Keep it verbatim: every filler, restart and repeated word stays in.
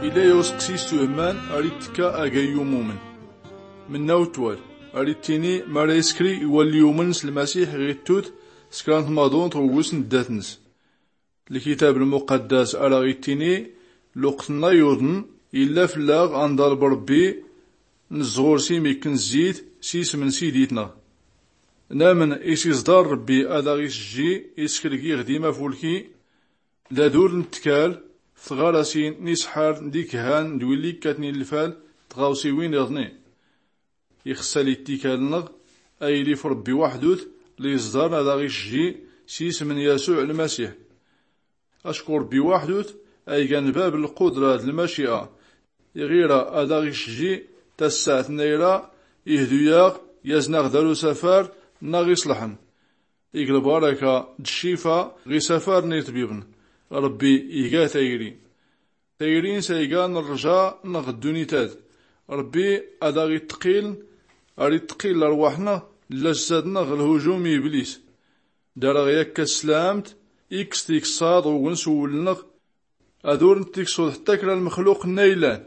Illa i-useqsi s-tuhman ar-ittekka agayyum umen. Menna utwal ar-ittini mara iskri i-walli umen s-lmasiḥ ɣ-ittut s-kra n-tmaḍunt ɣ-uwwes n-ddat-ns. Lkitab lmuqaddas ar-aɣ-ittini luqt-nna yuḍen illa fell-aɣ a-nḍaleb rebbi, n-ẓẓur s-imikken zzit s-isem n-sidit-nneɣ. Namen isiẓḍar rebbi ad-aɣ-isjji iskergi ɣ-dimafulki. D-adur n-ttkal f-tɣarasin n-isḥar d-ikhan d-willi ikkaten i-lfal d-tɣawsiwin iḍni. Ixṣṣa-li-ttikal-nneɣ a-yili f-rebbi waḥdut li-iẓḍarn ad-aɣ-isjji s-isem n-yasuɛ lmasiḥ. Acku rebbi waḥdut a-igan bab n-lqudra d-lmaciɛa. Iɣ-ira ad-aɣ-isjji tassaɛt n-ayra, ihdu-yaɣ, yazn-aɣ dar usafar n-aɣ-iṣlḥen. Ig lbaraka d-ccifa ɣ-isafar n-iṭbibn. Rebbi iga tayri. Tayri-ns a-igan rrja-nneɣ ɣ-ddunit-ad. Rebbi ad-aɣ-itqil, ar-itqil larwaḥ-nneɣ d-lajsad-nneɣ ɣ-lhujum n-iblis. Dar-aɣ yakka s-slamt, ikkes tikṣṣaḍ ɣ-ugens uwwel-nneɣ. Ad-ur-ntiksuḍ ḥtta kra n-lmexluq n-aylan.